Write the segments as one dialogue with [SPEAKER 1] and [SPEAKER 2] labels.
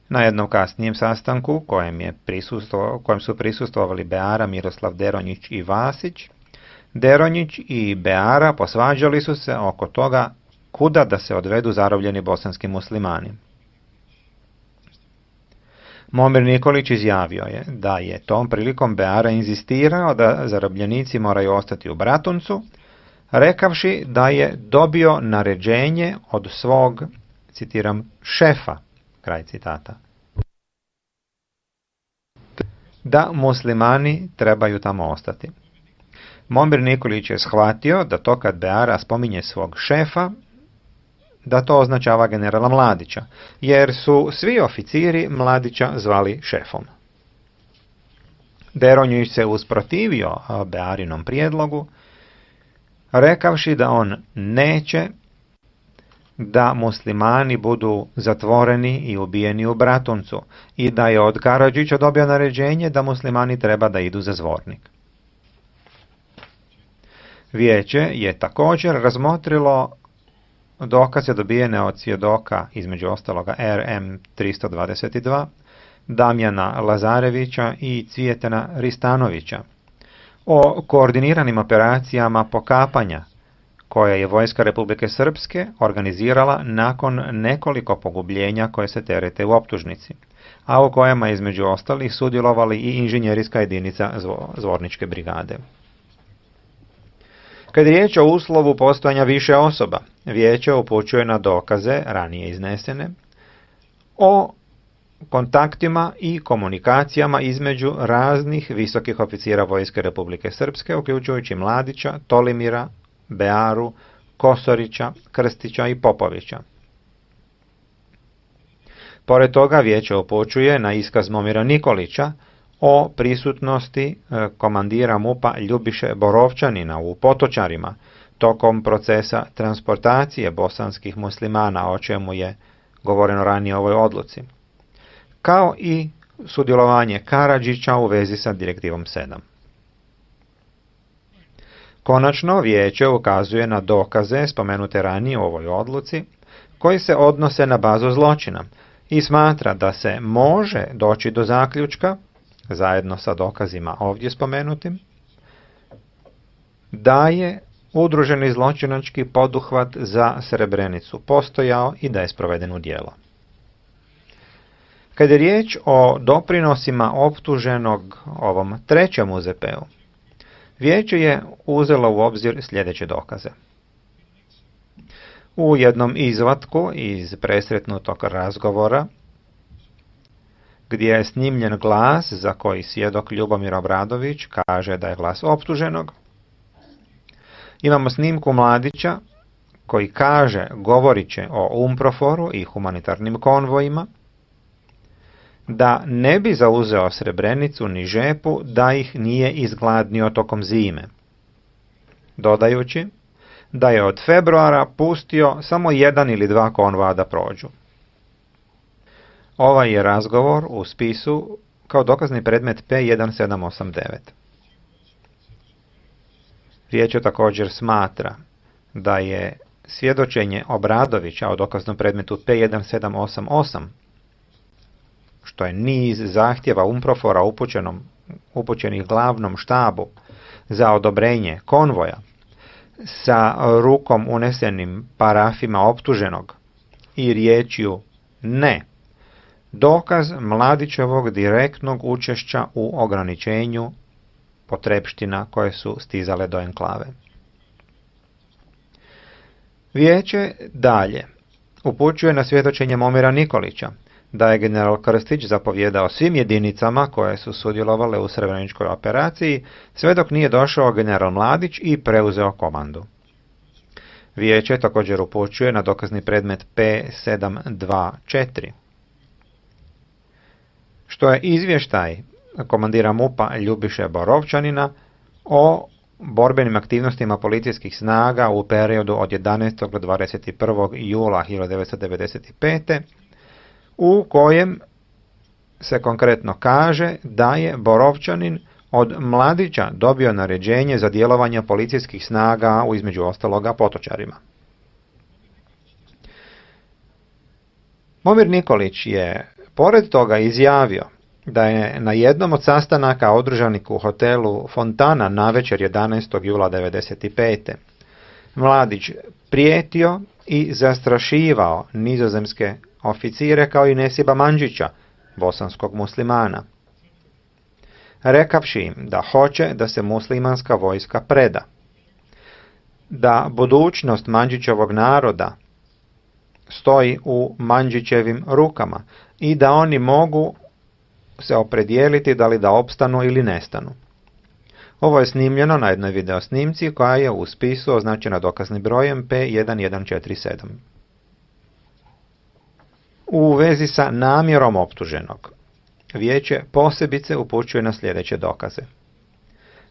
[SPEAKER 1] Na jednom kasnijem sastanku kojem su prisustvovali Beara, Miroslav Deronjić i Vasić, Deronjić i Beara posvađali su se oko toga kuda da se odvedu zarobljeni bosanski muslimani. Momir Nikolić izjavio je da je tom prilikom Beara inzistirao da zarobljenici moraju ostati u Bratuncu, rekavši da je dobio naređenje od svog, citiram, šefa, kraj citata, da muslimani trebaju tamo ostati. Momir Nikolić je shvatio da to kad Beara spominje svog šefa, da to označava generala Mladića, jer su svi oficiri Mladića zvali šefom. Deronjić se usprotivio Bearinom prijedlogu, rekavši da on neće da muslimani budu zatvoreni i ubijeni u Bratuncu i da je od Karadžića dobio naređenje da muslimani treba da idu za Zvornik. Vijeće je također razmotrilo dokaze dobijene od svjedoka, između ostaloga RM 322, Damjana Lazarevića i Cvijetana Ristanovića, o koordiniranim operacijama pokapanja koje je vojska Republike Srpske organizirala nakon nekoliko pogubljenja koje se terete u optužnici, a u kojima između ostalih sudjelovali i inženjerijska jedinica Zvorničke brigade. Kad je riječ o uslovu postojanja više osoba, vijeće upućuje na dokaze, ranije iznesene, o kontaktima i komunikacijama između raznih visokih oficira vojske Republike Srpske, uključujući Mladića, Tolimira, Bearu, Kosorića, Krstića i Popovića. Pored toga vijeće upućuje na iskaz Momira Nikolića o prisutnosti komandira MUP-a Ljubiše Borovčanina u Potočarima tokom procesa transportacije bosanskih muslimana, o čemu je govoreno ranije u ovoj odluci, kao i sudjelovanje Karadžića u vezi sa direktivom 7. Konačno, vijeće ukazuje na dokaze spomenute ranije u ovoj odluci, koji se odnose na bazu zločina i smatra da se može doći do zaključka, zajedno sa dokazima ovdje spomenutim, da je udruženi zločinački poduhvat za Srebrenicu postojao i da je sproveden u djelo. Kad je riječ o doprinosima optuženog ovom trećem UZP-u, vijeće je uzelo u obzir sljedeće dokaze. U jednom izvatku iz presretnutog razgovora, gdje je snimljen glas za koji svjedok Ljubomir Obradović kaže da je glas optuženog, imamo snimku Mladića koji kaže, govorit će o UNPROFOR-u i humanitarnim konvojima, da ne bi zauzeo Srebrenicu ni Žepu da ih nije izgladnio tokom zime, dodajući da je od februara pustio samo 1 ili 2 konvoja da prođu. Ovaj je razgovor u spisu kao dokazni predmet P1789. Vijeće također smatra da je svjedočenje Obradovića o dokaznom predmetu P1788, što je niz zahtjeva UNPROFOR-a upućenih glavnom štabu za odobrenje konvoja, sa rukom unesenim parafima optuženog i riječju ne, dokaz Mladićevog direktnog učešća u ograničenju potrepština koje su stizale do enklave. Vijeće dalje upućuje na svjedočenje Momira Nikolića da je general Krstić zapovjedao svim jedinicama koje su sudjelovale u Srebreničkoj operaciji, sve dok nije došao general Mladić i preuzeo komandu. Vijeće također upućuje na dokazni predmet P724, što je izvještaj komandira MUP-a Ljubiše Borovčanina o borbenim aktivnostima policijskih snaga u periodu od 11. do 21. jula 1995. u kojem se konkretno kaže da je Borovčanin od Mladića dobio naređenje za djelovanje policijskih snaga u između ostaloga Potočarima. Momir Nikolić je Pored toga izjavio da je na jednom od sastanaka održanih u hotelu Fontana navečer 11. jula 1995. Mladić prijetio i zastrašivao nizozemske oficire kao i Nesiba Mandžića, bosanskog muslimana, rekavši im da hoće da se muslimanska vojska preda, da budućnost Mandžićevog naroda stoji u Mandžićevim rukama i da oni mogu se opredijeliti da li da opstanu ili nestanu. Ovo je snimljeno na jednoj videosnimci koja je u spisu označena dokaznim brojem P1147. U vezi sa namjerom optuženog, vijeće posebice upućuje na sljedeće dokaze.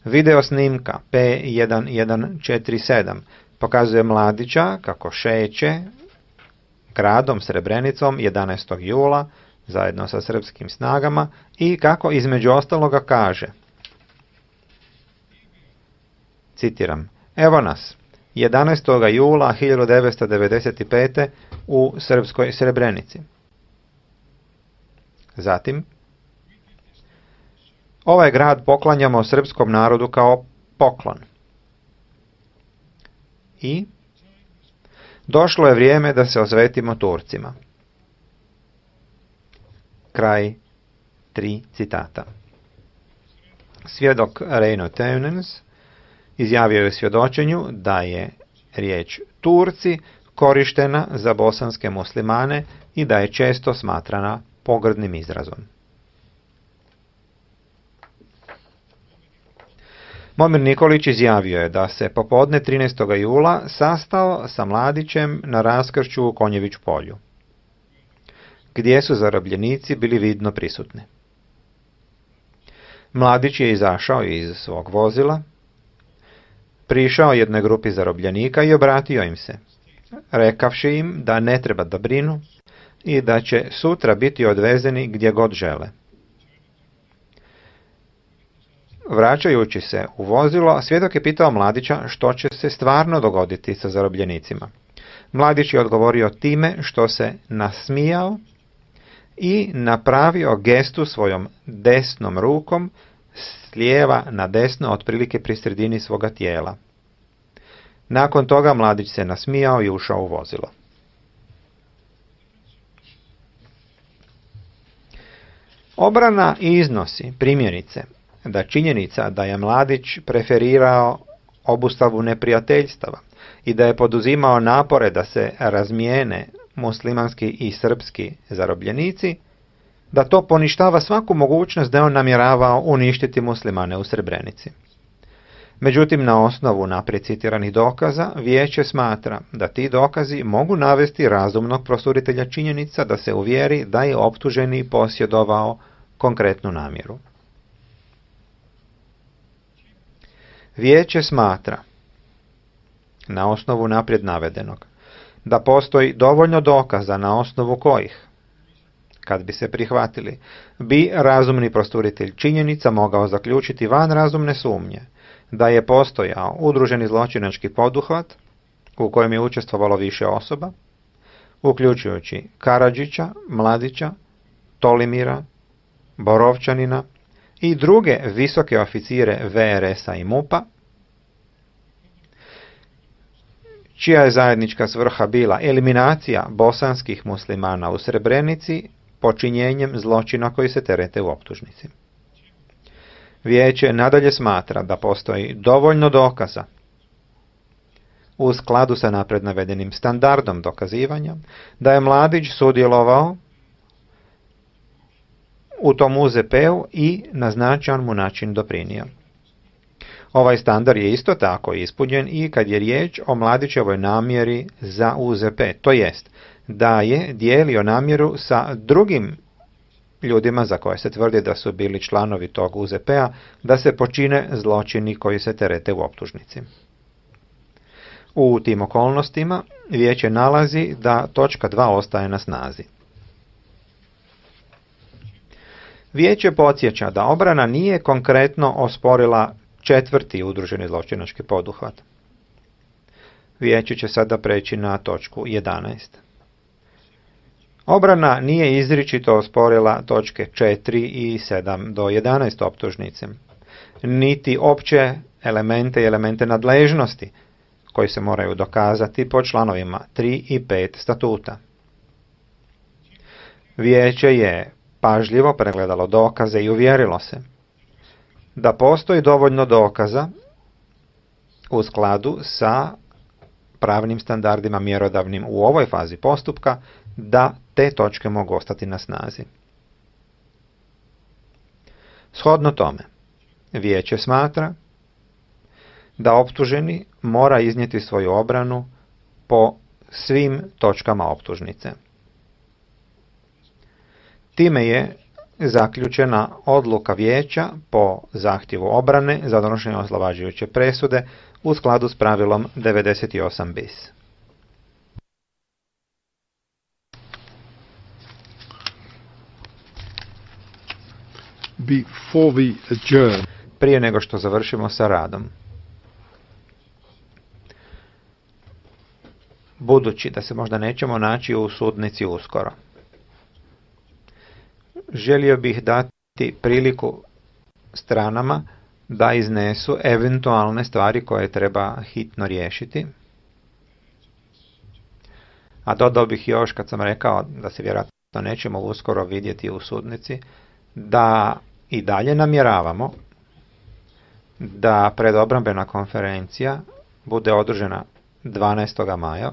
[SPEAKER 1] Videosnimka P1147 pokazuje mladića kako šeće gradom Srebrenicom 11. jula zajedno sa srpskim snagama i kako između ostaloga kaže, citiram, evo nas, 11. jula 1995. u srpskoj Srebrenici. Zatim, ovaj grad poklanjamo srpskom narodu kao poklon. I došlo je vrijeme da se osvetimo Turcima. Kraj 3 citata. Svjedok Reino Teunens izjavio je u svjedočenju da je riječ Turci korištena za bosanske muslimane i da je često smatrana pogrdnim izrazom. Momir Nikolić izjavio je da se popodne 13. jula sastao sa Mladićem na raskršću u Konjević polju, gdje su zarobljenici bili vidno prisutni. Mladić je izašao iz svog vozila, prišao jednoj grupi zarobljenika i obratio im se, rekavši im da ne treba da brinu i da će sutra biti odvezeni gdje god žele. Vraćajući se u vozilo, svjedok je pitao Mladića što će se stvarno dogoditi sa zarobljenicima. Mladić je odgovorio time što se nasmijao i napravio gestu svojom desnom rukom s lijeva na desno, otprilike pri sredini svoga tijela. Nakon toga Mladić se nasmijao i ušao u vozilo. Obrana iznosi, primjerice, da činjenica da je Mladić preferirao obustavu neprijateljstava i da je poduzimao napore da se razmijene muslimanski i srpski zarobljenici, da to poništava svaku mogućnost da on namjeravao uništiti muslimane u Srebrenici. Međutim, na osnovu naprijed citiranih dokaza, vijeće smatra da ti dokazi mogu navesti razumnog prosuditelja činjenica da se uvjeri da je optuženi posjedovao konkretnu namjeru. Vijeće smatra, na osnovu naprijed navedenog, da postoji dovoljno dokaza na osnovu kojih, kad bi se prihvatili, bi razumni prosuditelj činjenica mogao zaključiti van razumne sumnje da je postojao udruženi zločinački poduhvat u kojem je učestvovalo više osoba, uključujući Karadžića, Mladića, Tolimira, Borovčanina i druge visoke oficire VRS-a i MUP-a, čija je zajednička svrha bila eliminacija bosanskih muslimana u Srebrenici počinjenjem zločina koji se terete u optužnici. Vijeće nadalje smatra da postoji dovoljno dokaza u skladu sa napred navedenim standardom dokazivanja da je Mladić sudjelovao u tom UZP-u i na značajan mu način doprinio. Ovaj standard je isto tako ispunjen i kad je riječ o Mladićevoj namjeri za UZP, to jest da je dijelio namjeru sa drugim ljudima za koje se tvrdi da su bili članovi tog UZP-a, da se počine zločini koji se terete u optužnici. U tim okolnostima vijeće nalazi da točka 2 ostaje na snazi. Vijeće podsjeća da obrana nije konkretno osporila 4. udruženi zločinački poduhvat. Vijeće će sada preći na točku 11. Obrana nije izričito osporila točke 4 i 7 do 11 optužnice, niti opće elemente i elemente nadležnosti koji se moraju dokazati po članovima 3 i 5 statuta. Vijeće je pažljivo pregledalo dokaze i uvjerilo se da postoji dovoljno dokaza u skladu sa pravnim standardima mjerodavnim u ovoj fazi postupka da te točke mogu ostati na snazi. Shodno tome, vijeće smatra da optuženi mora iznijeti svoju obranu po svim točkama optužnice. Time je zaključena odluka vijeća po zahtjevu obrane za donošenje oslobađajuće presude u skladu s pravilom 98 bis.
[SPEAKER 2] Before we adjourn,
[SPEAKER 1] Prije nego što završimo sa radom, budući da se možda nećemo naći u sudnici uskoro, želio bih dati priliku stranama da iznesu eventualne stvari koje treba hitno riješiti. A dodao bih još, kad sam rekao da se vjerojatno nećemo uskoro vidjeti u sudnici, da i dalje namjeravamo da predobrambena konferencija bude održana 12. maja,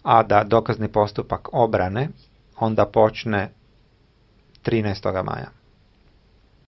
[SPEAKER 1] a da dokazni postupak obrane onda počne 13. maja.